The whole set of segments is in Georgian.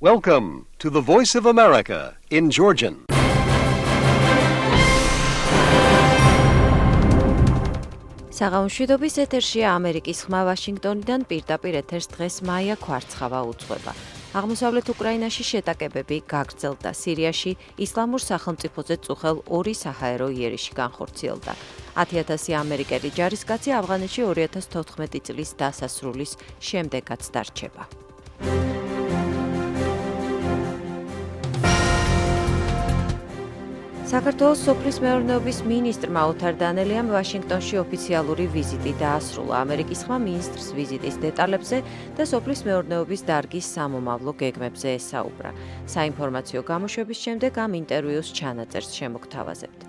Welcome to the Voice of America in Georgian. საღამოშვიდობის ეთერშია ამერიკის ხმა ვაშინგტონიდან პირდაპირ ეთერს დღეს მაია ქვარცხავა უძღვება. აღმოსავლეთ უკრაინაში შეტაკებები გაგრძელდა. სირიაში ისლამურ სახელმწიფოზე წუხელ 2 საჰაერო იერიში განხორციელდა. 10,000 ამერიკელი ჯარისკაცი ავღანეთში 2014 წლის დასასრულის შემდეგაც დარჩება. საქართველოს სოფლის მეურნეობის მინისტრმა ოთარ დანელიამ ვაშინგტონში ოფიციალური ვიზიტი დაასრულა. ამერიკის ხმა მინისტრს ვიზიტის დეტალებზე და სოფლის მეურნეობის დარგის სამომავლო გეგმებზე ესაუბრა. საინფორმაციო გამოშვების შემდეგ ამ ინტერვიუს ჩანაწერს შემოგთავაზებთ.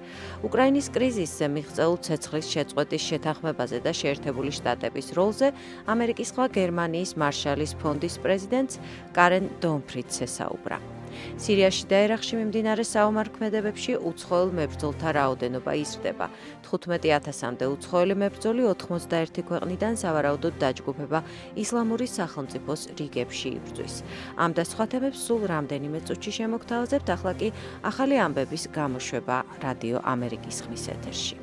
უკრაინის კრიზისზე მიღწეულ ცეცხლის შეწყვეტის შეთანხმებაზე და შეერთებული შტატების როლზე ამერიკის ხმა გერმანიის მარშალის ფონდის პრეზიდენტს კარენ დონფრიდს ესაუბრა. სირიაში და ერაყში მიმდინარე საომარ-ქმედებებში უცხოელ მებრძოლთა რაოდენობა იზრდება. 15,000-მდე უცხოელი მებრძოლი 91 ქვეყნიდან სავარაუდოდ დაჯგუფება ისლამური სახელმწიფოს რიგებში იბრძვის. ამ და სხვა თემებს სულ რამდენიმე წუთში შემოგთავაზებთ, ახლა კი ახალი ამბების გამოშვება რადიო ამერიკის ხმის ეთერში.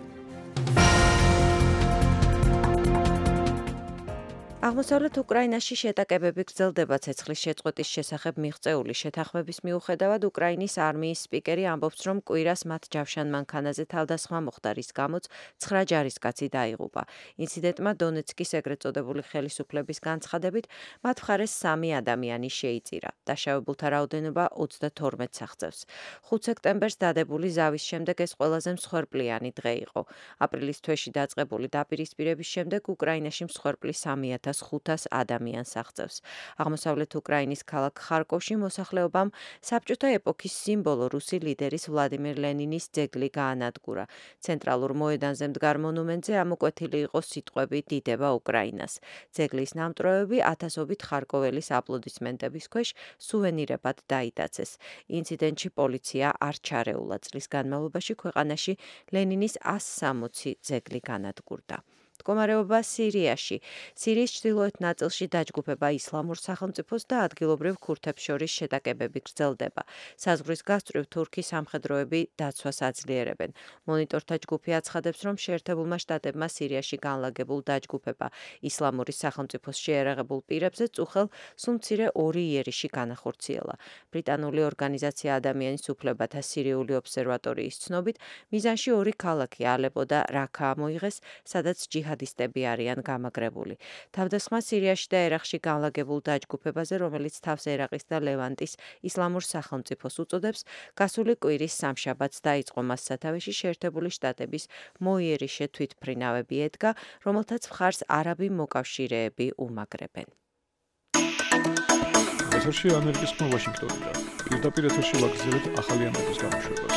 აღმოსავლეთ უკრაინაში შეტაკებები გრძელდება ცეცხლის შეწყვეტის შესახებ მიღწეული შეთანხმების მიუხედავად უკრაინის არმიის სპიკერი ამბობს, რომ კვირას მათ ჯავშან მანქანაზე თავდასხმა მოხდა, რის გამოც 9 ჯარისკაცი დაიღუპა. ინციდენტმა დონეცკის ეგრეთ წოდებული ხელისუფლების განცხადებით მათ მხარეს 3 ადამიანი შეიწირა. დაშავებულთა რაოდენობა 32-ს აღწევს. 5 სექტემბერს დადებული ზავის შემდეგ ეს ყველაზე მსხვერპლიანი დღე იყო. აპრილის თვეში დაწყებული დაპირისპირების შემდეგ უკრაინაში მსხვერპლი 3,500 ადამიანს აღწევს. აღმოსავლეთ უკრაინის ქალაქ ხარკოვში მოსახლეობამ საბჭოთა ეპოქის სიმბოლო რუსი ლიდერის ვლადიმერ ლენინის ძეგლი გაანადგურა. ცენტრალურ მოედანზე მდგარ მონუმენტზე ამოკვეთილი იყო სიტყვები „დიდება უკრაინას“. ძეგლის ნამტვრევები ათასობით ხარკოველის აპლოდისმენტების ქვეშ სუვენირებად დაიტაცეს. ინციდენტში პოლიცია არ ჩარეულა. წლის განმავლობაში ქვეყანაში ლენინის 160 ძეგლი განადგურდა. მდგომარეობა სირიაში. სირიის ჩრდილოეთ ნაწილში დაჯგუფება ისლამურ სახელმწიფოს და ადგილობრივ ქურთებს შორის შეტაკებები გრძელდება. საზღვრის გასწვრივ თურქი სამხედროები დაცვას აძლიერებენ. მონიტორთა ჯგუფი აცხადებს, რომ შეერთებულმა შტატებმა სირიაში განლაგებულ დაჯგუფება ისლამური სახელმწიფოს შეერაღებულ პირებზე წუხელ სულ მცირე 2 იერიში განახორციელა. ბრიტანული ორგანიზაცია ადამიანის უფლებათა სირიული ობსერვატორიის ცნობით, მიზანში 2 ქალაქი ალეპო და რაქა მოიღეს, სადაც ჯიჰადისტები არიან გამაგრებული. თავდასხმა სირიაში და ერაყში განლაგებულ დაჯგუფებაზე, რომელიც თავს ერაყის და ლევანტის ისლამურ სახელმწიფოს უწოდებს, გასული კვირის სამშაბათს დაიწყო მას სათავეში შეერთებული შტატების მოიერიშე თვითმფრინავები ედგა, რომელთაც მხარს არაბი მოკავშირეები უმაგრებენ. ეთერში ამერიკის ხმა ვაშინგტონიდან. პირდაპირ ეთერში ვაგრძელებთ ახალი ამბების გამოშვებას.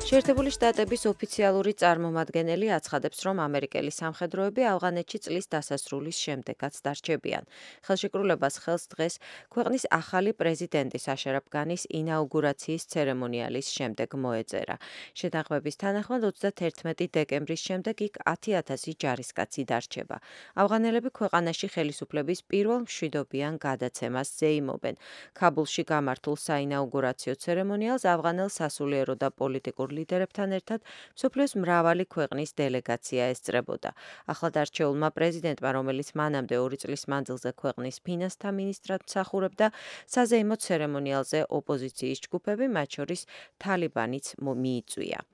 შეერთებული შტატების ოფიციალური წარმომადგენელი აცხადებს, რომ ამერიკელი სამხედროები ავღანეთში წლის დასასრულის შემდეგაც დარჩებიან. ხელშეკრულებას ხელს დღეს ქვეყნის ახალი პრეზიდენტის აშრაფ განის ინაუგურაციის ცერემონიალის შემდეგ მოეწერა. შეთანხმების თანახმად 31 დეკემბრის შემდეგ იქ 10,000 ჯარისკაცი დარჩება. ავღანელები ქვეყანაში ხელისუფლების პირველ მშვიდობიან გადაცემას ზეიმობენ. ქაბულში გამართულ საინაუგურაციო ცერემონიალს ავღანელ სასულიერო და პოლიტიკურ ლიდერებთან ერთად მსოფლიოს მრავალი ქვეყნის დელეგაცია ესწრებოდა. ახლადარჩეულმა პრეზიდენტმა, რომელიც მანამდე 2 წლის მანძილზე ქვეყნის ფინანსთა მინისტრად მსახურებდა, საზეიმო ცერემონიალზე ოპოზიციის ჯგუფები, მათ შორის თალიბანიც მიიწვია.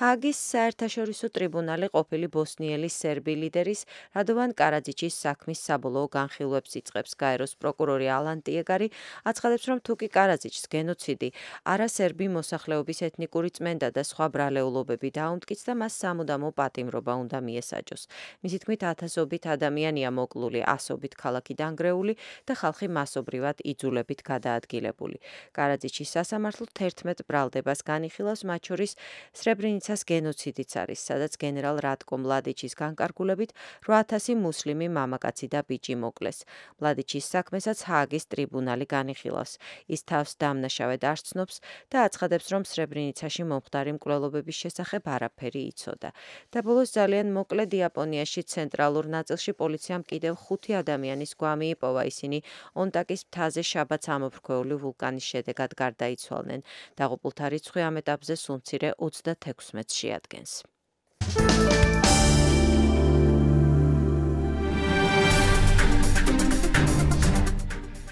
ჰააგის საერთაშორისო ტრიბუნალი ყოფილი ბოსნიელი სერბი ლიდერის რადოვან კარაძიჩის საქმის საბოლოო განხილვებს იწყებს. გაეროს პროკურორი ალან ტიეგარი აცხადებს, რომ თუკი კარაძიჩს გენოციდი, არასერბი მოსახლეობის ეთნიკური წმენდა და სხვა ბრალეულობები დაუმტკიც და მას სამუდამო პატიმრობა უნდა მიესაჯოს. მისი თქმით, ათასობით ადამიანია მოკლული, ასობით ქალაქი დანგრეული და ხალხი მასობრივად იძულებით გადაადგილებული. კარაძიჩის სასამართლო 11 ბრალდებას განიხილავს, მათ შორის სრებრენიცას გენოციდიც არის, სადაც გენერალ რატკო მლადიჩის განკარგულებით 8000 მუსლიმი მამაკაცი და ბიჭი მოკლეს. მლადიჩის საქმესაც ჰააგის ტრიბუნალი განიხილავს. ის თავს დამნაშავედ არ ცნობს და აცხადებს, რომ სრებრენიცაში მომხდარი მკვლელობების შესახებ არაფერი იცოდა. და ბოლოს ძალიან მოკლედ იაპონიაში ცენტრალურ ნაწილში პოლიციამ კიდევ 5 ადამიანის გვამი იპოვა. ისინი ონტაკის მთაზე შაბათს ამოფრქვეული ვულკანის შედეგად გარდაიცვალნენ. დაღუპულთა რიცხვი ამ ეტაპზე სულ მცირე 36-ს შეადგენს.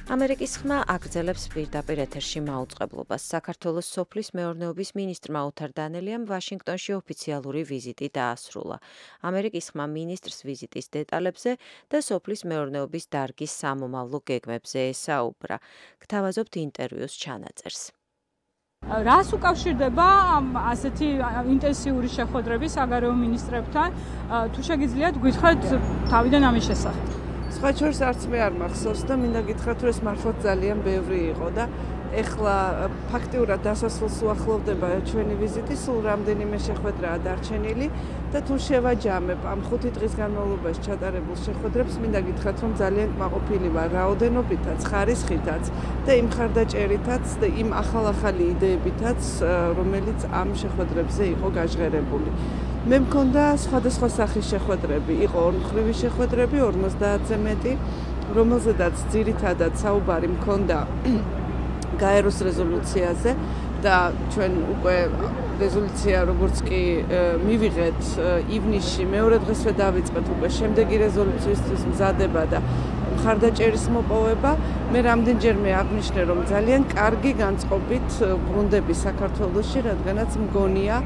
ამერიკის ხმა აგრძელებს პირდაპირ ეთერში მაუწყებლობას. საქართველოს სოფლის მეურნეობის მინისტრმა ოთარ დანელიამ ვაშინგტონში ოფიციალური ვიზიტი დაასრულა. ამერიკის ხმა მინისტრს ვიზიტის დეტალებზე და სოფლის მეურნეობის დარგის სამომავლო გეგმებზე ესაუბრა. გთავაზობთ ინტერვიუს ჩანაწერს. რას უკავშირდება ასეთი ინტენსიური შეხვედრები საგარეო მინისტრებთან? თუ შეგიძლიათ გითხრათ თავიდან ამის შესახებ. სხვა შორის არც მე არ მახსოვს და მინდა გითხრათ, რომ ეს მართლაც ძალიან ბევრი იყო და ეხლა ფაქტიურად დასასრულს უახლოვდება ჩვენი ვიზიტი, სულ რამდენიმე შეხვედრაა დარჩენილი და თუ შევაჯამებ ამ 5 დღის განმავლობაში ჩატარებულ შეხვედრებს, მინდა გითხრათ, რომ ძალიან კმაყოფილი ვარ რაოდენობითაც, ხარისხითაც და იმ მხარდაჭერითაც და იმ ახალ-ახალი იდეებითაც, რომელიც ამ შეხვედრებზე იყო გაჟღერებული. მე მქონდა სხვადასხვა სახის შეხვედრები, იყო ორმხრივი შეხვედრები 50-ზე მეტი, რომელზედაც ძირითადად საუბარი მქონდა გაეროს რეზოლუციაზე და ჩვენ უკვე რეზოლუცია როგორც კი მივიღეთ ივნისში მეორე დღესვე დავიწყეთ უკვე შემდეგი რეზოლუციისთვის მზადება და მხარდაჭერის მოპოვება. მე რამდენჯერმე აღნიშნე, რომ ძალიან კარგი განწყობით ბრუნდები საქართველოში, რადგანაც მგონია,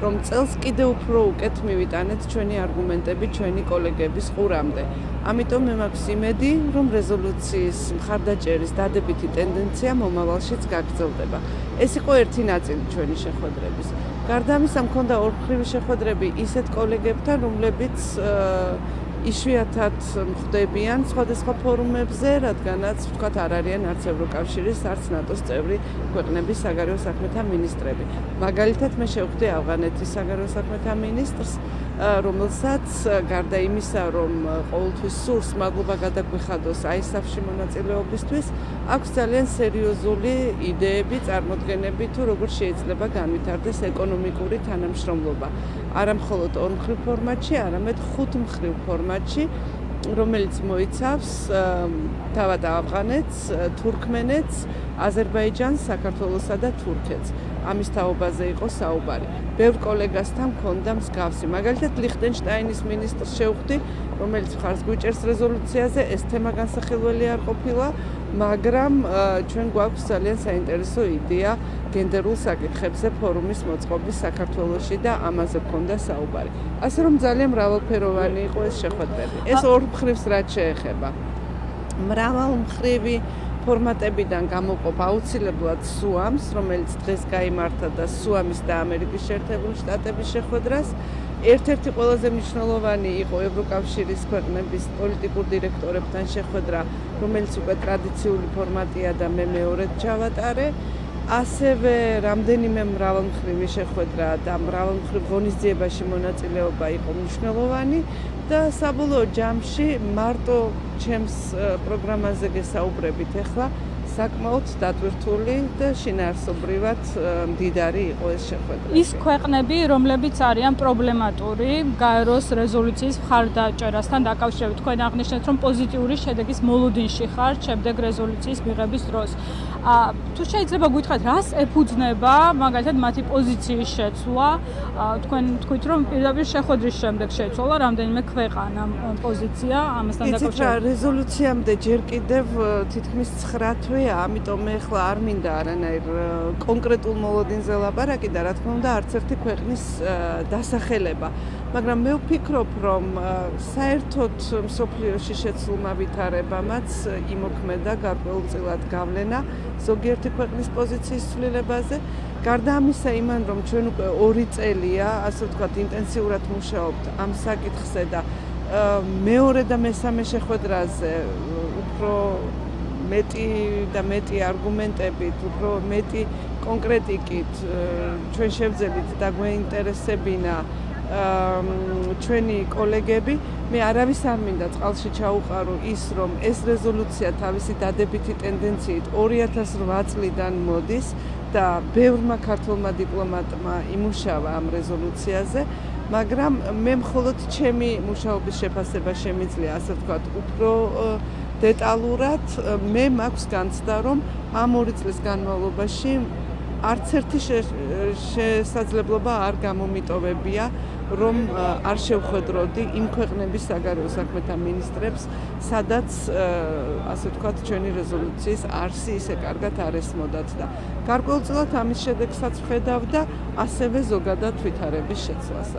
რომ წელს კიდევ უფრო უკეთ მივიტანეთ ჩვენი არგუმენტები ჩვენი კოლეგების ყურამდე. ამიტომ მე მაქვს იმედი, რომ რეზოლუციის მხარდაჭერის დადებითი ტენდენცია მომავალშიც გაგრძელდება. ეს იყო ერთი ნაწილი ჩვენი შეხვედრების. გარდა ამისა, მქონდა ორმხრივი შეხვედრები ისეთ კოლეგებთან, რომლებიც იშვიათად მხვდებიან სხვადასხვა ფორუმებზე, რადგანაც ვთქვათ არ არიან არც ევროკავშირის, არც ნატოს წევრი ქვეყნების საგარეო საქმეთა მინისტრები. მაგალითად მე შევხვდი ავღანეთის საგარეო საქმეთა მინისტრს, რომელსაც გარდა იმისა, რომ ყოველთვის სურს მადლობა გადაგვიხადოს ISAF-ში მონაწილეობისთვის, აქვს ძალიან სერიოზული იდეები, წარმოდგენები თუ როგორ შეიძლება განვითარდეს ეკონომიკური თანამშრომლობა. არა მხოლოდ ორმხრივ ფორმატში, არამედ 5 მხრივ ფორმატში, რომელიც მოიცავს თავად ავღანეთს, თურქმენეთს, აზერბაიჯანს, საქართველოსა და თურქეთს. ამის თაობაზე იყო საუბარი. ბევრ კოლეგასთან მქონდა მსგავსი. მაგალითად ლიხტენშტაინის მინისტრს შევხვდი, რომელიც მხარს გვიჭერს რეზოლუციაზე, ეს თემა განსახილველი არ ყოფილა, მაგრამ ჩვენ გვაქვს ძალიან საინტერესო იდეა გენდერულ საკითხებზე ფორუმის მოწყობის საქართველოში და ამაზე მქონდა საუბარი. ასე რომ ძალიან მრავალფეროვანი იყო ეს შეხვედრები. ეს ორ მხრივს რაც შეეხება. მრავალმხრივი ფორმატებიდან გამოყოფ აუცილებლად სუამს, რომელიც დღეს გაიმართა და სუამის და ამერიკის შეერთებული შტატების შეხვედრას. ერთ-ერთი ყველაზე მნიშვნელოვანი იყო ევროკავშირის ქვეყნების პოლიტიკურ დირექტორებთან შეხვედრა, რომელიც უკვე ტრადიციული ფორმატია და მე მეორედ ჩავატარე. ასევე რამდენიმე მრავალმხრივი შეხვედრა და მრავალმხრივ ღონისძიებაში მონაწილეობა იყო მნიშვნელოვანი და საბოლოო ჯამში მარტო ჩემს პროგრამაზე გესაუბრებით ახლა საკმაოდ დატვირთული და შინაარსობრივად მდიდარი იყო ეს შეხვედრა. ის ქვეყნები, რომლებიც არიან პრობლემატური გაეროს რეზოლუციის მხარდაჭერასთან დაკავშირებით, თქვენ აღნიშნეთ, რომ პოზიტიური შედეგის მოლოდინში ხართ შემდეგ რეზოლუციის მიღების დროს. თუ შეიძლება გითხრათ, რას ეფუძნება მაგალითად მათი პოზიციის შეცვლა? თქვენ თქვით, რომ პირდაპირ შეხვედრის შემდეგ შეცვალა რამდენიმე ქვეყანამ პოზიცია ამასთან დაკავშირებით. რეზოლუციამდე ჯერ კიდევ თითქმის 9 თვე, ამიტომ მე ახლა არ მინდა არანაირ კონკრეტულ მოლოდინზე ლაპარაკი და რა თქმა უნდა არც ერთი ქვეყნის დასახელება. მაგრამ მე ვფიქრობ, რომ საერთოდ მსოფლიოში შეცვლილმა ვითარებამაც იმოქმედა გარკვეულწილად გავლენა ზოგიერთი ქვეყნის პოზიციის ცვლილებაზე. გარდა ამისა, იმან რომ ჩვენ უკვე 2 წელია, ასე ვთქვათ, ინტენსიურად მუშაობთ ამ საკითხზე და მეორე და მესამე შეხვედრაზე უფრო მეტი და მეტი არგუმენტებით, უფრო მეტი კონკრეტიკით ჩვენ შევძელით და გვეინტერესებინა ჩვენი კოლეგები, მე არავის არ მინდა წყალში ჩაუყარო ის, რომ ეს რეზოლუცია თავისი დადებითი ტენდენციით 2008 წლიდან მოდის და ბევრმა ქართულმა დიპლომატმა იმუშავა ამ რეზოლუციაზე, მაგრამ მე მხოლოდ ჩემი მუშაობის შეფასება შემიძლია, ასე ვთქვათ, უფრო დეტალურად მე მაქვს განცდა, რომ ამ 2 წლის განმავლობაში არც ერთი შესაძლებლობა არ გამომიტოვებია, რომ არ შევხვედროდი იმ ქვეყნების საგარეო საქმეთა მინისტრებს, სადაც ასე ვთქვათ, ჩვენი რეზოლუციის არსი ისე კარგად არ ესმოდათ და გარკვეულწილად ამის შედეგსაც ვხედავ და ასევე ზოგადად ვითარების შეცვლას.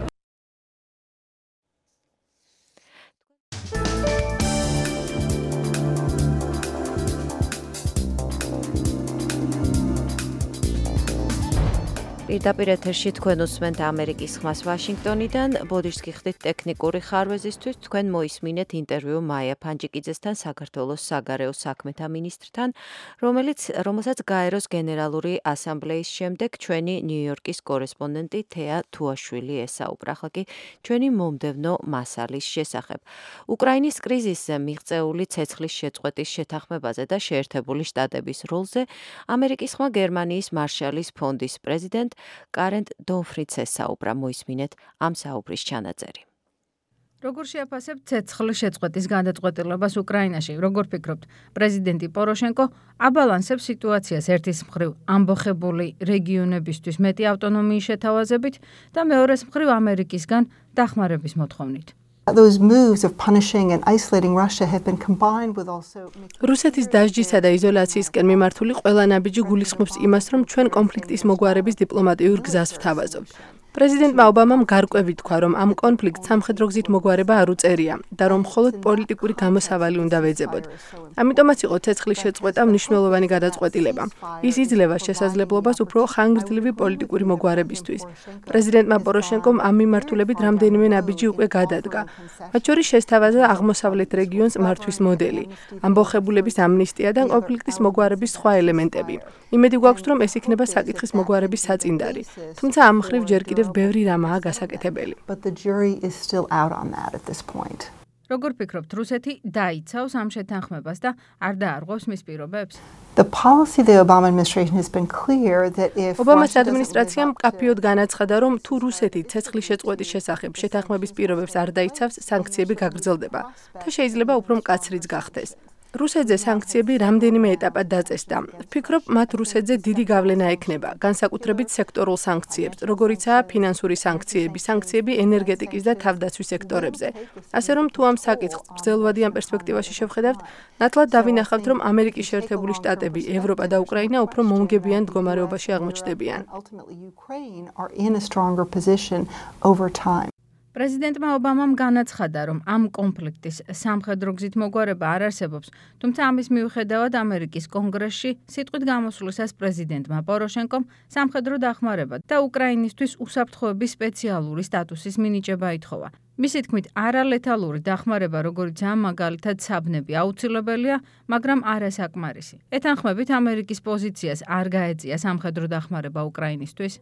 პირდაპირ ეთერში თქვენ უსმენთ ამერიკის ხმას ვაშინგტონიდან. ბოდიშს გიხდით ტექნიკური ხარვეზისთვის. თქვენ მოისმინეთ ინტერვიუ მაია ფანჯიკიძესთან, საქართველოს საგარეო საქმეთა მინისტრთან, რომელსაც გაეროს გენერალური ასამბლეის შემდეგ ჩვენი ნიუ-იორკის კორესპონდენტი თეა თუაშვილი ესაუბრა. ახლა კი ჩვენი მომდევნო მასალის შესახებ. უკრაინის კრიზისზე მიღწეული ცეცხლის შეწყვეტის შეთანხმებაზე და შეერთებული შტატების როლზე ამერიკის ხმა გერმანიის მარშალის ფონდის პრეზიდენტ კარენ დონფრიცს ესაუბრა. მოისმინეთ ამ საუბრის ჩანაწერი. როგორ შეაფასებთ ცეცხლის შეწყვეტის გადაწყვეტილებას უკრაინაში? როგორ ფიქრობთ, პრეზიდენტი პოროშენკო აბალანსებს სიტუაციას ერთის მხრივ ამბოხებული რეგიონებისთვის მეტი ავტონომიის შეთავაზებით და მეორეს მხრივ ამერიკისგან დახმარების მოთხოვნით? Those moves of punishing and isolating Russia have been combined with also რუსეთის დასჯისა და იზოლაციისკენ მიმართული ყველა ნაბიჯი გულისხმობს იმას, რომ ჩვენ კონფლიქტის მოგვარების დიპლომატიურ გზას ვთავაზობთ. პრეზიდენტმა ობამამ გარკვევით თქვა, რომ ამ კონფლიქტს სამხედრო გზით მოგვარება არ უწერია და რომ მხოლოდ პოლიტიკური გამოსავალი უნდა ვეძებოთ. ამიტომაც იყო ცეცხლის შეწყვეტა მნიშვნელოვანი გადაწყვეტილება. ის იძლევა შესაძლებლობას უფრო ხანგრძლივი პოლიტიკური მოგვარებისთვის. პრეზიდენტმა პოროშენკომ ამ მიმართულებით რამდენიმე ნაბიჯი უკვე გადადგა. მათ შორის შესთავაზა აღმოსავლეთ რეგიონს მართვის მოდელი, ამბოხებულების ამნისტია და კონფლიქტის მოგვარების სხვა ელემენტები. იმედი გვაქვს, რომ ეს იქნება საკითხის მოგვარების საწინდარი. თუმცა ამ მხრივ ჯერ კიდევ ბევრი რამაა გასაკეთებელი. როგორ ფიქრობთ, რუსეთი დაიცავს ამ შეთანხმებას და არ დაარღვევს მის პირობებს? ობამას ადმინისტრაციამ მკაფიოდ განაცხადა, რომ თუ რუსეთი ცეცხლის შეწყვეტის შესახებ შეთანხმების პირობებს არ დაიცავს, სანქციები გაგრძელდება და შეიძლება უფრო მკაცრიც გახდეს. რუსეთზე სანქციები რამდენიმე ეტაპად დაწესდა. ვფიქრობ, მათ რუსეთზე დიდი გავლენა ექნება, განსაკუთრებით სექტორულ სანქციებს, როგორიცაა ფინანსური სანქციები, სანქციები ენერგეტიკის და თავდაცვის სექტორებზე. ასე რომ, თუ ამ საკითხს გრძელვადიან პერსპექტივაში შევხედავთ, ნათლად დავინახავთ, რომ ამერიკის შეერთებული შტატები, ევროპა და უკრაინა უფრო მომგებიან მდგომარეობაში აღმოჩნდებიან. პრეზიდენტმა ობამამ განაცხადა, რომ ამ კონფლიქტის სამხედრო გზით მოგვარება არ არსებობს, თუმცა ამის მიუხედავად ამერიკის კონგრესში სიტყვით გამოსვლისას პრეზიდენტმა პოროშენკომ სამხედრო დახმარება და უკრაინისთვის უსაფრთხოების სპეციალური სტატუსის მინიჭება ითხოვა. მისი თქმით, არალეთალური დახმარება, როგორიცაა მაგალითად საბნები, აუცილებელია, მაგრამ არასაკმარისი. ეთანხმებით ამერიკის პოზიციას არ გაეწია სამხედრო დახმარება უკრაინისთვის?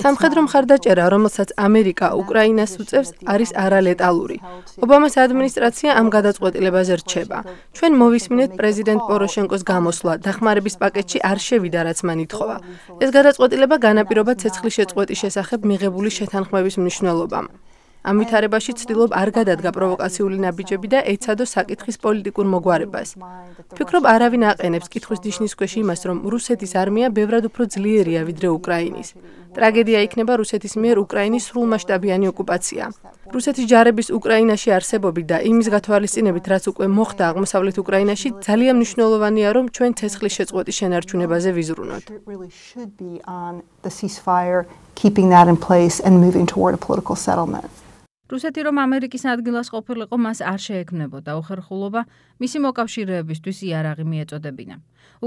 სამხედრო მხარდაჭერა, რომელსაც ამერიკა უკრაინას უწევს, არის არალეტალური. ობამას ადმინისტრაცია ამ გადაწყვეტილებაზე რჩება. ჩვენ მოვისმინეთ პრეზიდენტ პოროშენკოს გამოსვლა, დახმარების პაკეტში არ შევიდა, რაც მან ითხოვა. ეს გადაწყვეტილება განაპირობა ცეცხლის შეწყვეტის შესახებ მიღებული შეთანხმების მნიშვნელობამ. ამ ვითარებაში ცდილობ არ გადადგა პროვოკაციული ნაბიჯები და ეცადო საკითხის პოლიტიკურ მოგვარებას. ვფიქრობ, არავინ აყენებს კითხვის ნიშნის ქვეშ იმას, რომ რუსეთის არმია ბევრად უფრო ძლიერია ვიდრე უკრაინის. ტრაგედია იქნება რუსეთის მიერ უკრაინის სრულმასშტაბიანი ოკუპაცია. რუსეთის ჯარების უკრაინაში არსებობით და იმის გათვალისწინებით, რაც უკვე მოხდა აღმოსავლეთ უკრაინაში, ძალიან მნიშვნელოვანია, რომ ჩვენ ცეცხლის შეწყვეტის შენარჩუნებაზე ვიზრუნოთ. რუსეთი რომ ამერიკის ადგილას ყოფილიყო, მას არ შეექმნებოდა უხერხულობა მისი მოკავშირეებისთვის იარაღი მიეწოდებინა.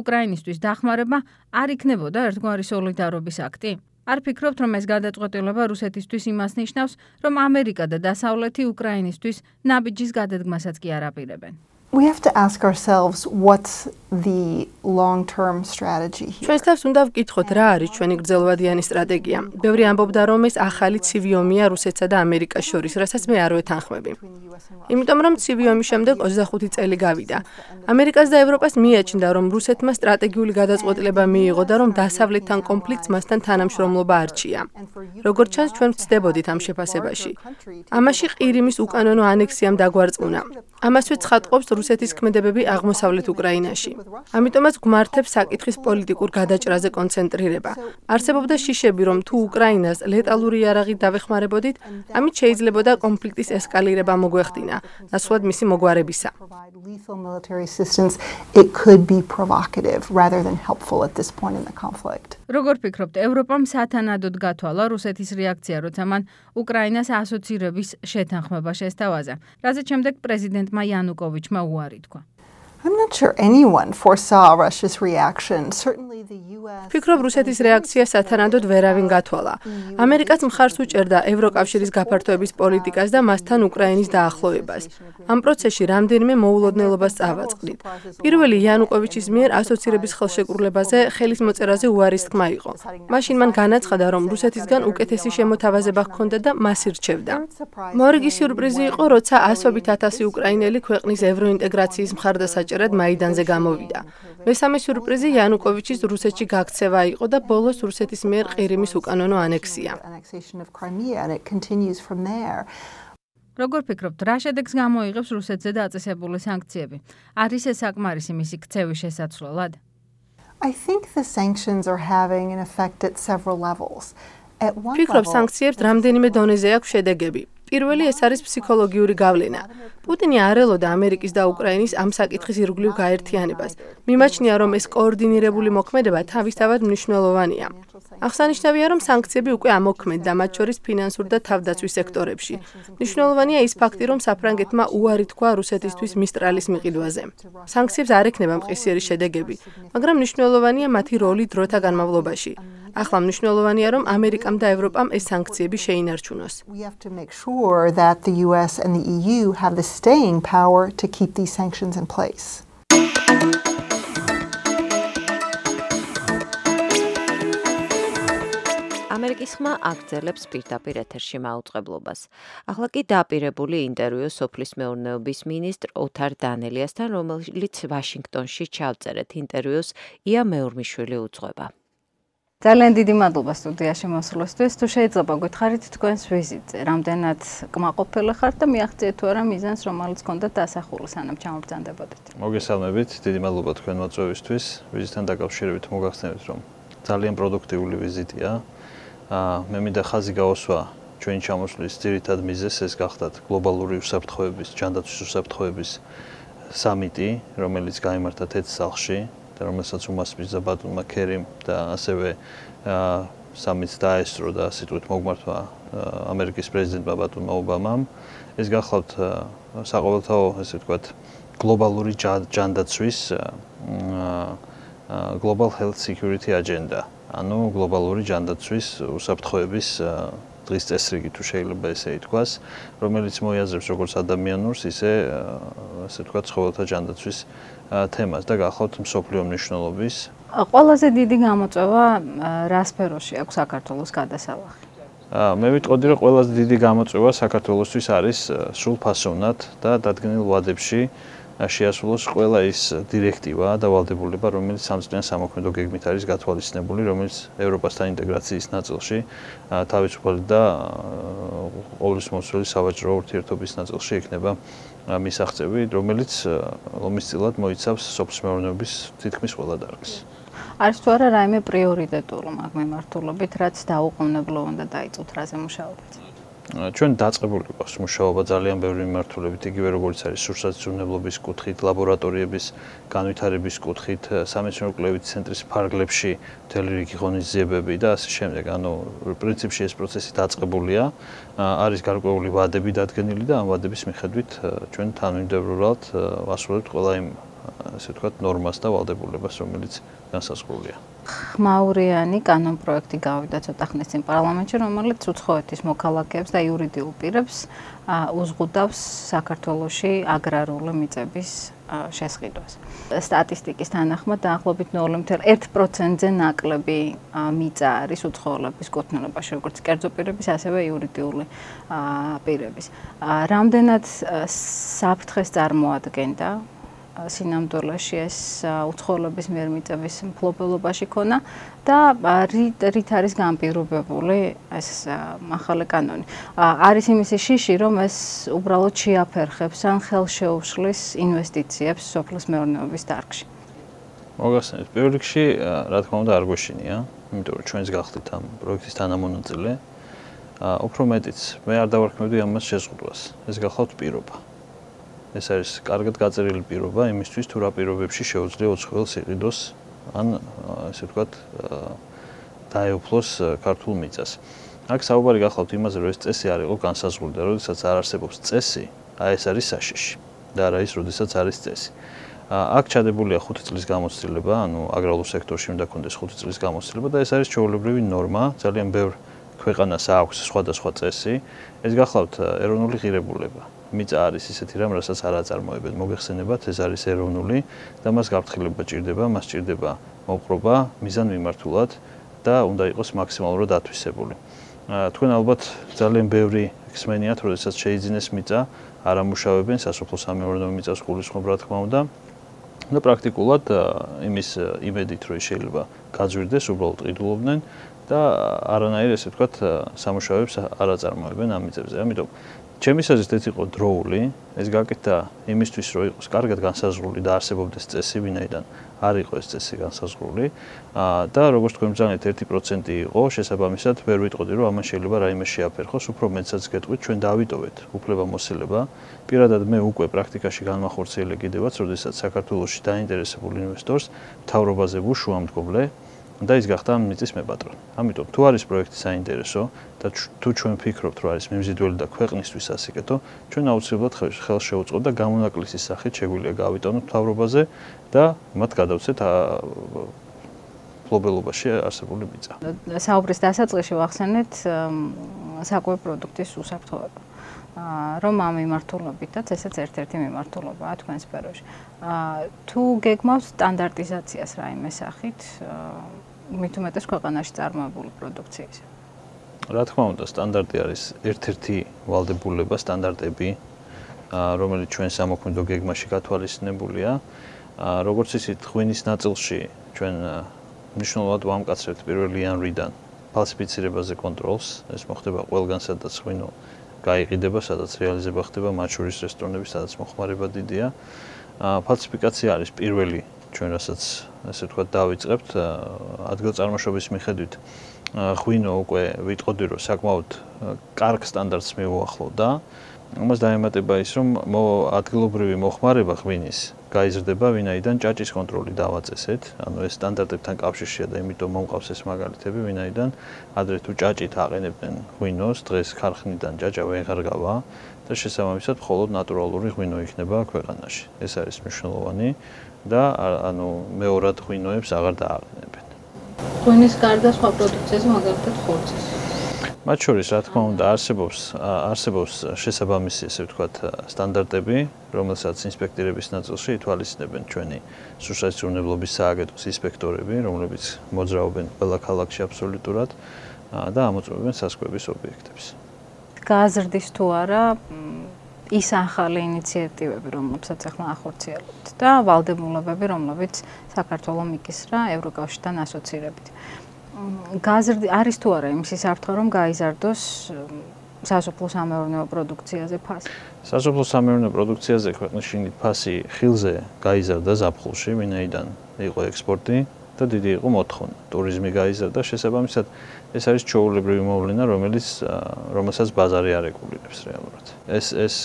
უკრაინისთვის დახმარება არ იქნებოდა ერთგვარი სოლიდარობის აქტი? არ ფიქრობთ, რომ ეს გადაწყვეტილება რუსეთისთვის იმას ნიშნავს, რომ ამერიკა და დასავლეთი უკრაინისთვის ნაბიჯის გადადგმასაც კი არ აპირებენ? We have to ask ourselves what's the long-term strategy here. ჩვენს თავს უნდა ვკითხოთ რა არის ჩვენი გრძელვადიანი სტრატეგია. ბევრი ამბობდა რომ ეს ახალი ცივი ომია რუსეთსა და ამერიკას შორის, რასაც მე არ ვეთანხმები. იმიტომ რომ ცივი ომის შემდეგ 25 წელი გავიდა. ამერიკას და ევროპას მიაჩნდა რომ რუსეთმა სტრატეგიული გადაწყვეტილება მიიღო და რომ დასავლეთთან კონფლიქტს მასთან თანამშრომლობა არჩია. როგორც ჩანს ჩვენ ვწდებოდით ამ შეფასებაში. ამაში ყირიმის უკანონო ანექსიამ დაგვარწმუნა. ამასვე ცხადყოფს რუსეთის ქმედებები აღმოსავლეთ უკრაინაში. ამიტომაც გვმართებს საკითხის პოლიტიკურ გადაჭრაზე კონცენტრირება. არსებობდა შიშები, რომ თუ უკრაინას ლეტალური იარაღით დავეხმარებოდით, ამით შეიძლებოდა კონფლიქტის ესკალირება მოგვეხდინა, ნაცვლად მისი მოგვარებისა. Lethal military assistance, it could be provocative rather than helpful at this point in the conflict. როგორ ფიქრობთ, ევროპამ სათანადოდ გათვალა რუსეთის რეაქცია, როცა მან უკრაინას ასოცირების შეთანხმება შესთავაზა, რაზეც შემდეგ პრეზიდენტმა იანუკოვიჩმა უარი თქვა. I'm not sure anyone foresaw Russia's reaction. Certainly the US. ფიქრობ რუსეთის რეაქცია სათანადოდ ვერავინ გათვალა. ამერიკაც მხარს უჭერდა ევროკავშირის გაფართოების პოლიტიკას და მასთან უკრაინის დაახლოებას. ამ პროცესში რამდენიმე მოულოდნელობას წავაწყდით. პირველი იანუკოვიჩის მიერ ასოცირების ხელშეკრულებაზე ხელის მოწერაზე უარის თქმა იყო. მაშინ მან განაცხადა, რომ რუსეთისგან უკეთესი შემოთავაზება ჰქონდა და მას ირჩევდა. მორიგი სიურპრიზი იყო, როცა ასობით ათასი უკრაინელი ქვეყნის ევროინტეგრაციის მხარდასაჭერად მაიდანზე გამოვიდა. მესამე სიურპრიზი იანუკოვიჩის რუსეთში გაქცევა იყო და ბოლოს რუსეთის მიერ ყირიმის უკანონო ანექსია. როგორ ფიქრობთ, რა შედეგს გამოიღებს რუსეთზე დაწესებული სანქციები? არის ეს საკმარისი მისი ქცევის შესაცვლელად? I think the sanctions are having an effect at several levels. ფიქრობ, სანქციებს რამდენიმე დონეზე აქვს შედეგები. პირველი ეს არის ფსიქოლოგიური გავლენა. პუტინი არ ელოდა ამერიკის და უკრაინის ამ საკითხის ირგვლივ გაერთიანებას. მიმაჩნია, რომ ეს კოორდინირებული მოქმედება თავისთავად მნიშვნელოვანია. აღსანიშნავია, რომ სანქციები უკვე ამოქმედდა, მათ შორის ფინანსურ და თავდაცვის სექტორებში. მნიშვნელოვანია ის ფაქტი, რომ საფრანგეთმა უარი თქვა რუსეთისთვის მისტრალის მიყიდვაზე. სანქციებს არ ექნება მყისიერი შედეგები, მაგრამ მნიშვნელოვანია მათი როლი დროთა განმავლობაში. ახლა მნიშვნელოვანია, რომ ამერიკამ და ევროპამ ეს სანქციები შეინარჩუნოს. We have to make sure that the US and the EU have the staying power to keep these sanctions in place. ამერიკის ხმა აგრძელებს პირდაპირ ეთერში მაუწყებლობას. ახლა კი დაპირებული ინტერვიუ სოფლის მეურნეობის მინისტრ ოთარ დანელიასთან, რომელიც ვაშინგტონში ჩავწერეთ ინტერვიუს ია მეურმიშვილი უძღვება. ძალიან დიდი მადლობა სტუდიაში მოსვლისთვის. თუ შეიძლება გითხარით თქვენს ვიზიტზე, რამდენად კმაყოფილი ხართ და მიაღწიეთ თუ არა მიზანს, რომელიც ჰქონდათ დასახული, სანამ ჩამობრძანდებოდეთ. მოგესალმებით, დიდი მადლობა თქვენ მოწვევისთვის. ვიზიტთან დაკავშირებით მოგახსენებთ, რომ ძალიან პროდუქტიული ვიზიტია. მე მინდა ხაზი გავასვა ჩვენი ჩამოსვლის ძირითად მიზეზს, ეს გახდათ გლობალური უსაფრთხოების, ჯანდაცვის უსაფრთხოების სამიტი, რომელიც გაიმართა თეთრ სახლში. რომელსაც უმასპინძლა ბატონმა ქერიმ და ასევე სამიტს დაესწრო და სიტყვით მოგმართვა ამერიკის პრეზიდენტმა ბატონმა ობამამ. ეს გახლავთ საყოველთაო, ესე ვთქვათ, გლობალური ჯანდაცვის Global Health Security Agenda, ანუ გლობალური ჯანდაცვის უსაფრთხოების დღის წესრიგი თუ შეიძლება ესე ითქვას, რომელიც მოიაზრებს როგორც ადამიანურს, ისე ვთქვათ, ცხოველთა ჯანდაცვის თემას და გახლავთ მსოფლიო მნიშვნელობის. ყველაზე დიდი გამოწვევა რა სფეროში აქვს საქართველოს გადასალახი? მე ვიტყოდი, რომ ყველაზე დიდი გამოწვევა საქართველოსთვის არის სრულფასოვნად და დადგენილ ვადებში შეასრულოს ყველა ის დირექტივა და ვალდებულება, რომელიც სამწლიან სამოქმედო გეგმით არის გათვალისწინებული, რომელიც ევროპასთან ინტეგრაციის ნაწილში თავისუფალი და ყოვლისმომცველი სავაჭრო ურთიერთობის ნაწილში იქნება მისაღწევი, რომელიც ლომისწილად მოიცავს სოფლის მეურნეობის თითქმის ყველა დარგს. არის თუ არა რაიმე პრიორიტეტული მაგ მიმართულებით, რაც დაუყოვნებლო უნდა დაიწყოთ რაზე მუშაობთ? ჩვენ დაწყებული გვაქვს მუშაობა ძალიან ბევრი მიმართულებით, იგივე როგორც არის სურსათმცემლობის კუთხით, ლაბორატორიების განვითარების კუთხით, სამეცნიერო-კვლევით ცენტრის ფარგლებში მთელი რიგი ღონისძიებები და ასე შემდეგ. ანუ პრინციპში ეს პროცესი დაწყებულია, არის გარკვეული ვადები დადგენილი და ამ ვადების მიხედვით ჩვენ თანმიმდევრულად ვასრულებთ ყველა იმ ასე ვთქვათ, ნორმას და ვალდებულებას, რომელიც განსაზღვრულია. ხმაურიანი კანონპროექტი გავიდა ცოტა ხნის წინ პარლამენტში, რომელიც უცხოეთის მოქალაქეებს და იურიდიულ პირებს უზღუდავს საქართველოში აგრარული მიწების შესყიდვას. სტატისტიკის თანახმად დაახლოებით 0.1%-ზე ნაკლები მიწა არის უცხოელების კუთვნილებაში, როგორც კერძო პირების, ასევე იურიდიული პირების. რამდენად საფრთხეს წარმოადგენდა სინამდვილეში ეს უცხოელების მიერ მიწების მფლობელობაში ქონა და რით არის განპირობებული ეს ახალი კანონი. არის იმისი შიში, რომ ეს უბრალოდ შეაფერხებს ან ხელშეუშლის ინვესტიციებს სოფლის მეურნეობის დარგში. მოგახსენებთ, პირველ რიგში, რა თქმა უნდა, არ გვეშინია, იმიტომ რომ ჩვენს გახდით ამ პროექტის თანამონაწილე. უფრო მეტიც, მე არ დავარქმევდი ამას შეზღუდვას. ეს გახლავთ პირობა. ეს არის კარგად გაწერილი პირობა იმისთვის, თუ რა პირობებში შეუძლია უცხოელს იყიდოს ან ასე ვთქვათ, დაეუფლოს ქართულ მიწას. აქ საუბარი გახლავთ იმაზე, რომ ეს წესი არ იყო განსაზღვრული და როდესაც არ არსებობს წესი, ეს არის საშიში და არა ის, როდესაც არის წესი. აქ ჩადებულია 5 წლის გამოცდილება, ანუ აგრარულ სექტორში უნდა კონდეს 5 წლის გამოცდილება და ეს არის ჩვეულებრივი ნორმა, ძალიან ბევრ ქვეყანას აქვს სხვადასხვა წესი. ეს გახლავთ ეროვნული ღირებულება. მიწა არის ისეთი რამ, რასაც არ აწარმოებენ. მოგეხსენებათ, ეს არის ეროვნული და მას გაფრთხილება ჭირდება, მას ჭირდება მოპყრობა მიზანმიმართულად და უნდა იყოს მაქსიმალურად ათვისებული. თქვენ ალბათ ძალიან ბევრი ხსმენიათ, როდესაც შეიძინეს მიწა, არ ამუშავებენ სასოფლო-სამეურნეო მიწას გულისხმობ, რა თქმა უნდა. და პრაქტიკულად იმის იმედით, რომ შეიძლება გაძვირდეს, უბრალოდ ყიდულობდნენ და არანაირ ესე ვთქვათ, სამუშაოებს არ აწარმოებენ ამ მიწებზე. ამიტომ ჩემი აზრით ეს იყო დროული, ეს გაკეთდა იმისთვის, რომ იყოს კარგად განსაზღვრული და არსებობდეს წესი, ვინაიდან არ იყო ეს წესი განსაზღვრული და როგორც თქვენ ბრძანეთ 1% იყო, შესაბამისად ვერ ვიტყოდი, რომ ამან შეიძლება რაიმე შეაფერხოს, უფრო მეტსაც გეტყვით, ჩვენ დავიტოვეთ უფლებამოსილება. პირადად მე უკვე პრაქტიკაში განმახორციელე კიდევაც, როდესაც საქართველოში დაინტერესებულ ინვესტორს მთავრობაზე ვუშუამდგომლე და ის გახდა ამ მიწის მეპატრონი. ამიტომ თუ არის პროექტი საინტერესო და თუ ჩვენ ვფიქრობთ, რომ არის მიმზიდველი და ქვეყნისთვის ასიკეთო, ჩვენ აუცილებლად ხელს შევუწყობთ და გამონაკლისის სახით შეგვიძლია გავიტანოთ მთავრობაზე და მათ გადავცეთ მფლობელობაში არსებული მიწა. საუბრის დასაწყისში ვახსენეთ საკვები პროდუქტის უსაფრთხოება. რომ ამ მიმართულებითაც ესეც ერთ-ერთი მიმართულებაა თქვენ სფეროში. თუ გეგმავთ სტანდარტიზაციას რაიმე სახით, მით უმეტეს ქვეყანაში წარმოებული პროდუქციის. რა თქმა უნდა, სტანდარტი არის ერთ-ერთი ვალდებულება, სტანდარტები, რომელიც ჩვენ სამოქმედო გეგმაში გათვალისწინებულია. როგორც იცით, ღვინის ნაწილში ჩვენ მნიშვნელოვნად ვამკაცრებთ პირველი იანვრიდან ფალსიფიცირებაზე კონტროლს. ეს მოხდება ყველგან, სადაც ღვინო გაიყიდება, სადაც რეალიზება ხდება, მათ შორის რესტორნები, სადაც მოხმარება დიდია. ფალსიფიკაცია არის პირველი ჩვენ რასაც ასე ვთქვათ დავიწყებთ ადგილწარმოშობის მიხედვით ღვინო უკვე ვიტყოდი რომ საკმაოდ კარგ სტანდარტს მიუახლოვდა. ამას დაემატება ის რომ ადგილობრივი მოხმარება ღვინის გაიზრდება, ვინაიდან ჭაჭის კონტროლი დავაწესეთ. ანუ ეს სტანდარტებთან კავშირშია და იმიტომ მომყავს ეს მაგალითები, ვინაიდან ადრე თუ ჭაჭით აყენებდნენ ღვინოს, დღეს ქარხნიდან ჭაჭა ვეღარ გავა და შესაბამისად მხოლოდ ნატურალური ღვინო იქნება ქვეყანაში. ეს არის მნიშვნელოვანი და ანუ მეორად ღვინოებს აღარ დააყენებენ. ღვინის გარდა სხვა პროდუქციაზე მაგალითად ხორცის. მათ შორის, რა თქმა უნდა, არსებობს შესაბამისი, ესე ვთქვათ, სტანდარტები, რომელსაც ინსპექტორების ნაწილში ითვალისწინებენ ჩვენი სუსტატიურნებლობის სააგენტოს ინსპექტორები, რომლებიც მოძრაობენ ყველა ქალაქში აბსოლუტურად და ამოწმებენ სასკვების ობიექტებს. გაზრდის თუ არა ის ახალი ინიციატივები, რომლებსაც ახლა ახორციელებთ და ვალდებულებები, რომლებიც საქართველოს მიკისრა ევროკავშირთან ასოცირებით. გაზრდი არის თუ არა იმის საფრთხე, რომ გაიზარდოს სასოფლო-სამეურნეო პროდუქციაზე ფასი? სასოფლო-სამეურნეო პროდუქციაზე ქვეყნის შიგნით ფასი ხილზე გაიზარდა ზაფხულში, ვინაიდან იყო ექსპორტი და დიდი იყო მოთხოვნა. ტურიზმი გაიზარდა, შესაბამისად ეს არის ჩვეულებრივი მოვლენა, რომელსაც ბაზარი არ ეკულირებს რეალურად. ეს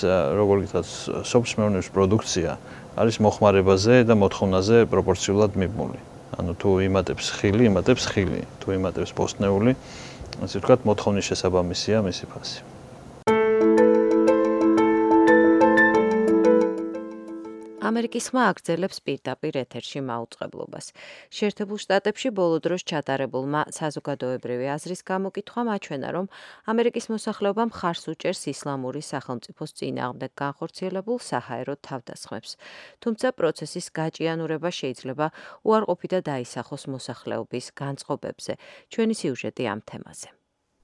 როგორ გითხრათ, სოფლის მეურნეობის პროდუქცია არის მოხმარებაზე და მოთხოვნაზე პროპორციულად მიბმული. ანუ თუ იმატებს ხილი, იმატებს ხილი, თუ იმატებს ბოსტნეული, ასე ვთქვათ, მოთხოვნის შესაბამისია მისი ფასი. ამერიკის ხმა აგრძელებს პირდაპირ ეთერში მაუწყებლობას. შეერთებულ შტატებში ბოლო დროს ჩატარებულმა საზოგადოებრივი აზრის გამოკითხვამ აჩვენა, რომ ამერიკის მოსახლეობა მხარს უჭერს ისლამური სახელმწიფოს წინააღმდეგ განხორციელებულ საჰაერო თავდასხმებს. თუმცა პროცესის გაჭიანურება შეიძლება უარყოფით და დაისახოს მოსახლეობის განწყობებზე. ჩვენი სიუჟეტი ამ თემაზე.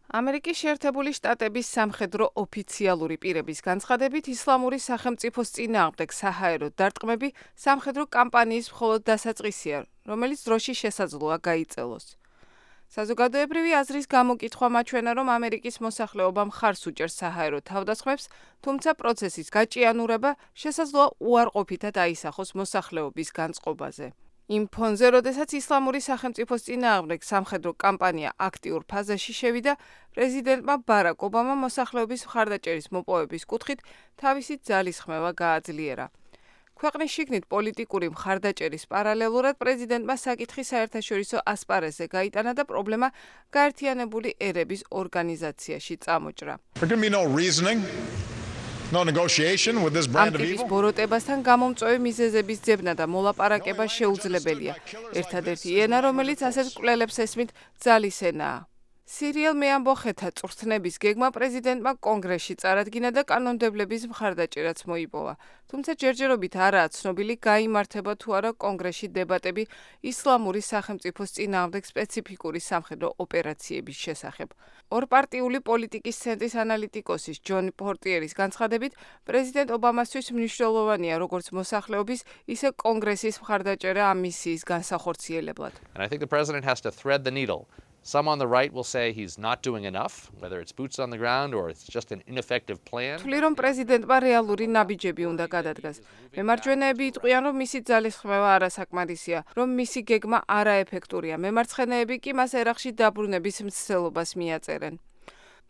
ამერიკის შეერთებული შტატების სამხედრო ოფიციალური პირების განცხადებით ისლამური სახელმწიფოს წინააღმდეგ საჰაერო დარტყმები სამხედრო კამპანიის მხოლოდ დასაწყისია, რომელიც დროში შესაძლოა გაიწელოს. საზოგადოებრივი აზრის გამოკითხვა მაჩვენა, რომ ამერიკის მოსახლეობა მხარს უჭერს საჰაერო თავდასხმებს, თუმცა პროცესის გაჭიანურება შესაძლოა უარყოფითად აისახოს მოსახლეობის განწყობაზე. იმ ფონზე, როდესაც ისლამური სახელმწიფოს წინააღმდეგ სამხედრო კამპანია აქტიურ ფაზაში შევიდა, პრეზიდენტმა ბარაკ ობამამ მოსახლეობის მხარდაჭერის მოპოვების კუთხით თავისი ძალისხმევა გააძლიერა. ქვეყნის შიგნით პოლიტიკური მხარდაჭერის პარალელურად პრეზიდენტმა საკითხი საერთაშორისო ასპარეზზე გაიტანა და პრობლემა გაერთიანებული ერების ორგანიზაციაში წამოჭრა. ამ ტიპის ბოროტებასთან გამომწვევი მიზეზების ძებნა და მოლაპარაკება შეუძლებელია. ერთადერთი ენა, რომელიც ასეთ კვლელებს ესმით, ძალის ენაა. სირიელ მეამბოხეთა წვრთნების გეგმა პრეზიდენტმა კონგრესში წარადგინა და კანონმდებლების მხარდაჭერაც მოიპოვა. თუმცა ჯერჯერობით არაა ცნობილი გაიმართება თუ არა კონგრესში დებატები ისლამური სახელმწიფოს წინააღმდეგ სპეციფიკური სამხედრო ოპერაციების შესახებ. ორპარტიული პოლიტიკის ცენტრის ანალიტიკოსის ჯონ პორტიერის განცხადებით, პრეზიდენტ ობამასთვის მნიშვნელოვანია როგორც მოსახლეობის, ისე კონგრესის მხარდაჭერა ამ მისიის განსახორციელებლად. Some on the right will say he's not doing enough, whether it's boots on the ground or it's just an ineffective plan. თვლი რომ პრეზიდენტმა რეალური ნაბიჯები უნდა გადადგას. მემარჯვენეები იტყვიან, რომ მისი ძალისხმევა არასაკმარისია, რომ მისი გეგმა არაეფექტურია. მემარცხენეები კი მას ერახში დაბრუნების მცდელობას მიაწერენ.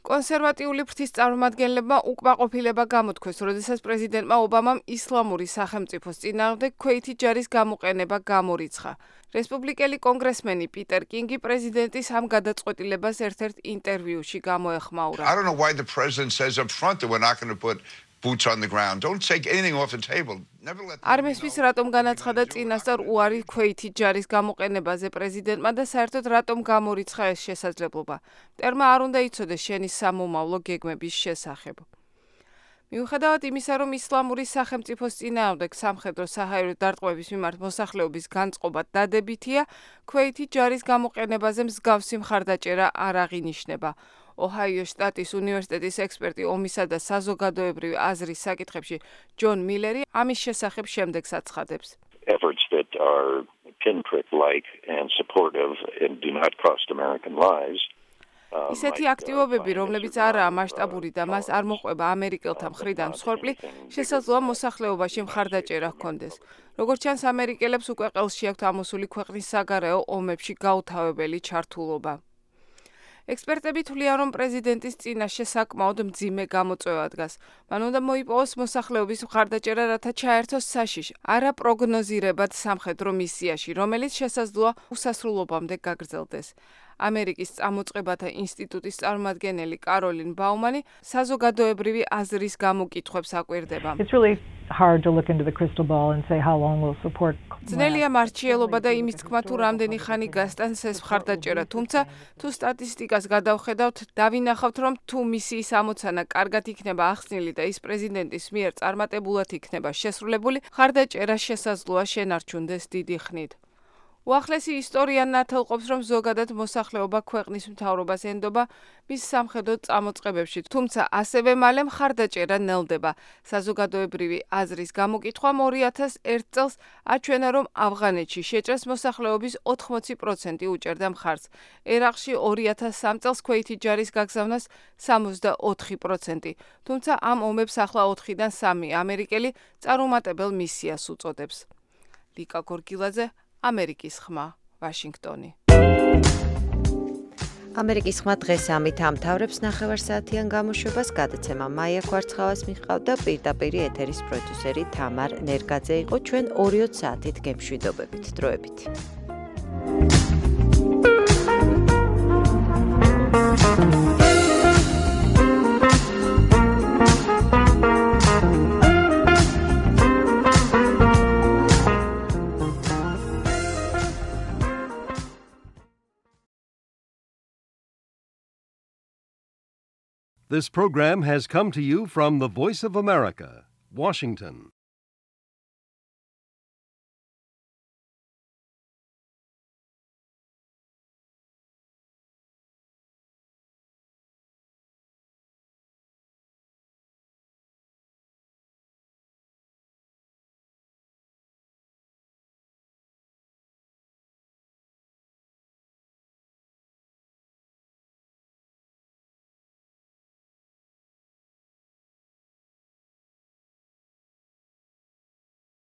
კონსერვატიული ფრთის წარმომადგენლებმა უკმაყოფილება გამოთქვეს, როდესაც პრეზიდენტმა ობამამ ისლამური სახელმწიფოს წინააღმდეგ ქვეითი ჯარის გამოყენება გამორიცხა. რესპუბლიკელი კონგრესმენი პიტერ კინგი პრეზიდენტის ამ გადაწყვეტილებას ერთ-ერთ ინტერვიუში გამოეხმაურა. I don't know why the president says up front that we're not going to put boots on the ground. Don't take anything off the table. Never let არ მესმის რატომ განაცხადა წინასწარ უარი ქვეითი ჯარის გამოყენებაზე პრეზიდენტმა და საერთოდ რატომ გამორიცხა ეს შესაძლებლობა. მტერმა არ უნდა იცოდეს შენი სამომავლო გეგმების შესახებ. მიუხედავად იმისა, რომ ისლამური სახელმწიფოს წინააღმდეგ სამხედრო საჰაერო დარტყმების მიმართ მოსახლეობის განწყობა დადებითია, ქვეითი ჯარის გამოყენებაზე მსგავსი მხარდაჭერა არ აღინიშნება. ოჰაიოს შტატის უნივერსიტეტის ექსპერტი ომისა და საზოგადოებრივი აზრის საკითხებში ჯონ მილერი ამის შესახებ შემდეგს აცხადებს. Efforts that are pinprick-like and supportive and do not cost American lives. ისეთი აქტივობები, რომლებიც არაა მასშტაბური და მას არ მოყვება ამერიკელთა მხრიდან მსხვერპლი, შესაძლოა მოსახლეობაში მხარდაჭერა ჰქონდეს. როგორც ჩანს, ამერიკელებს უკვე ყელში აქვთ ამოსული ქვეყნის საგარეო ომებში გაუთავებელი ჩართულობა. ექსპერტები თვლიან, რომ პრეზიდენტის წინაშე საკმაოდ მძიმე გამოწვევა დგას. მან უნდა მოიპოვოს მოსახლეობის მხარდაჭერა, რათა ჩაერთოს საშიში, არაპროგნოზირებად სამხედრო მისიაში, რომელიც შესაძლოა უსასრულობამდე გაგრძელდეს. ამერიკის წამოწყებათა ინსტიტუტის წარმომადგენელი კაროლინ ბაუმანი საზოგადოებრივი აზრის გამოკითხვებს აკვირდება. ძნელია მარჩიელობა და იმის თქმა, თუ რამდენი ხანი გასტანს ეს მხარდაჭერა, თუმცა თუ სტატისტიკას გადავხედავთ, დავინახავთ, რომ თუ მისიის ამოცანა კარგად იქნება ახსნილი და ის პრეზიდენტის მიერ წარმატებულად იქნება შესრულებული, მხარდაჭერა შესაძლოა შენარჩუნდეს დიდი ხნით. უახლესი ისტორია ნათელყოფს, რომ ზოგადად მოსახლეობა ქვეყნის მთავრობას ენდობა მის სამხედრო წამოწყებებში, თუმცა ასევე მალე მხარდაჭერა ნელდება. საზოგადოებრივი აზრის გამოკითხვამ 2001 წელს აჩვენა, რომ ავღანეთში შეჭრას მოსახლეობის 80% უჭერდა მხარს. ერაყში 2003 წელს ქვეითი ჯარის გაგზავნას 64%, თუმცა ამ ომებს ახლა 4-დან 3 ამერიკელი წარუმატებელ მისიას უწოდებს. ლიკა გორგილაძე, ამერიკის ხმა, ვაშინგტონი. ამერიკის ხმა დღეს ამით ამთავრებს ნახევარსაათიან გამოშვებას. გადაცემა მაია კვარცხავას მიჰყავდა, პირდაპირ ეთერის პროდიუსერი თამარ ნერგაძე იყო. ჩვენ 2 საათით გემშვიდობებით. დროებით. This program has come to you from the Voice of America, Washington.